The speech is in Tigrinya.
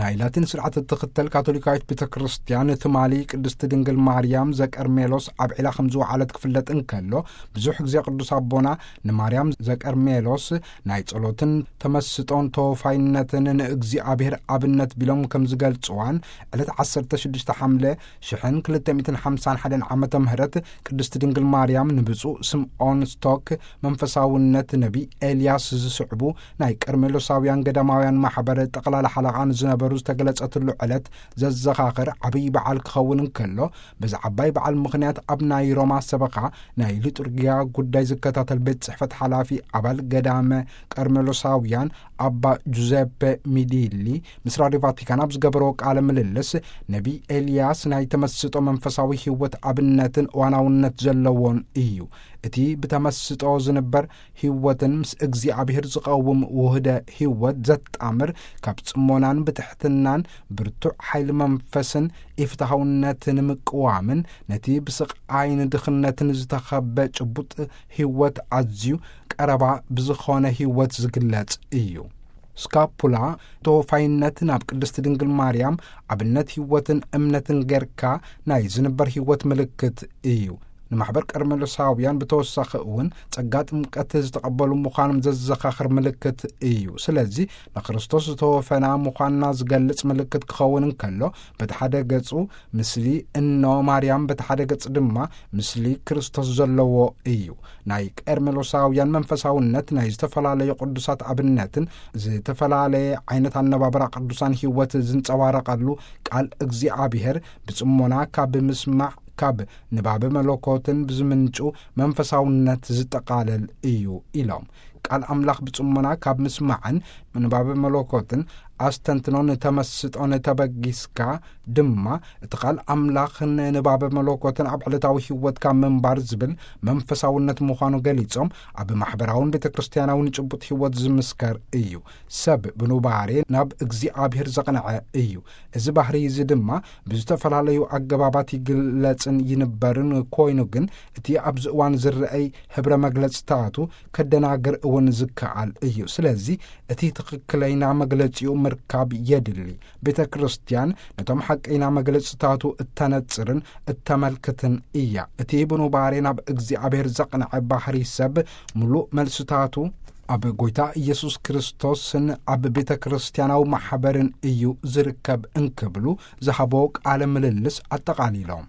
ናይ ላቲን ስርዓት እትኽተል ካቶሊካዊት ቤተ ክርስቲያን፣ ትማሊ ቅድስቲ ድንግል ማርያም ዘቀርሜሎስ ኣብ ዒላ ከም ዝወዓለት ክፍለጥ እንከሎ፣ ብዙሕ ግዜ ቅዱስ ኣቦና ንማርያም ዘቀርሜሎስ ናይ ጸሎትን ተመስጦን ተወፋይነትን ንእግዚኣብሔር ኣብነት ቢሎም ከም ዝገልጽዋን፣ ዕለት ዓሰርተ ሽዱሽተ ሓምለ ሽሕን ክልተ ሚእትን ሓምሳን ሓደን ዓመተ ምህረት ቅድስቲ ድንግል ማርያም ንብፁዕ ስምዖን ስቶክ መንፈሳውነት ነቢ ኤልያስ ዝስዕቡ ናይ ቀርሜሎሳውያን ገዳማውያን ማሕበር ጠቕላላ ሓለቓ ንዝነበሩ ዝተገለጸትሉ ዕለት ዘዘኻኽር ዓብዪ በዓል ክኸውን እንከሎ፣ በዚ ዓባይ በዓል ምኽንያት ኣብ ናይ ሮማ ሰበኻ ናይ ሊጡርጊያ ጉዳይ ዝከታተል ቤት ጽሕፈት ሓላፊ ኣባል ገዳመ ቀርሜሎሳውያን ኣባ ጁዘፔ ሚዲሊ ምስ ራድዮ ቫቲካን ኣብ ዝገበርዎ ቃለ ምልልስ፣ ነቢ ኤልያስ ናይ ተመስጦ መንፈሳዊ ህይወት ኣብነትን እዋናውነት ዘለዎን እዩ። እቲ ብተመስጦ ዝንበር ህይወትን ምስ እግዚኣብሔር ዝቐውም ውህደ ህይወት ዘጣምር፣ ካብ ጽሞናን ብትሕትናን ብርቱዕ ሓይሊ መንፈስን ኢፍትሃውነትን ምቅዋምን፣ ነቲ ብስቓይን ድኽነትን ዝተኸበ ጭቡጥ ህይወት ኣዝዩ ቀረባ ብዝኾነ ህይወት ዝግለጽ እዩ። ስካፑላ ተወፋይነት ናብ ቅድስቲ ድንግል ማርያም ኣብነት ህይወትን እምነትን ጌርካ ናይ ዝንበር ህይወት ምልክት እዩ። ንማሕበር ቀርሜሎሳውያን ብተወሳኺ እውን ጸጋ ጥምቀት ዝተቐበሉ ምዃኖም ዘዘኻኽር ምልክት እዩ። ስለዚ ንክርስቶስ ዝተወፈና ምዃንና ዝገልጽ ምልክት ክኸውን እንከሎ፣ በቲ ሓደ ገጹ ምስሊ እኖ ማርያም፣ በቲ ሓደ ገጽ ድማ ምስሊ ክርስቶስ ዘለዎ እዩ። ናይ ቀርሜሎሳውያን መንፈሳውነት ናይ ዝተፈላለዩ ቅዱሳት ኣብነትን ዝተፈላለየ ዓይነት ኣነባብራ ቅዱሳን ህይወት ዝንጸባረቐሉ ቃል እግዚኣብሔር ብጽሞና ካብ ምስማዕ፣ ካብ ንባበ መለኮትን ብዝምንጩ መንፈሳውነት ዝጠቓለል እዩ ኢሎም። ቃል ኣምላኽ ብጽሞና ካብ ምስማዕን ንባበ መለኮትን ኣስተንትኖን ተመስጦን ተበጊስካ ድማ፣ እቲ ቃል ኣምላኽን ንባበ መለኮትን ኣብ ዕለታዊ ህይወትካ ምንባር ዝብል መንፈሳውነት ምዃኑ ገሊጾም፣ ኣብ ማሕበራውን ቤተ ክርስቲያናውን ጭቡጥ ህይወት ዝምስከር እዩ። ሰብ ብኑባሬ ናብ እግዚኣብሔር ዘቕንዐ እዩ። እዚ ባህሪ እዚ ድማ ብዝተፈላለዩ ኣገባባት ይግለጽን ይንበርን ኮይኑ፣ ግን እቲ ኣብዚ እዋን ዝረአይ ህብረ መግለጽታቱ ከደናግር እውን ዝከኣል እዩ። ስለዚ እቲ ትኽክለይና መግለጺኡ ምርካብ የድሊ። ቤተ ክርስቲያን ነቶም ሓቀይና መግለጽታቱ እተነጽርን እተመልክትን እያ። እቲ ብኑባሬ ናብ እግዚኣብሔር ዘቕንዐ ባህሪ ሰብ፣ ምሉእ መልስታቱ ኣብ ጐይታ ኢየሱስ ክርስቶስን ኣብ ቤተ ክርስቲያናዊ ማሕበርን እዩ ዝርከብ እንክብሉ ዝሃቦ ቃለ ምልልስ ኣጠቓሊሎም።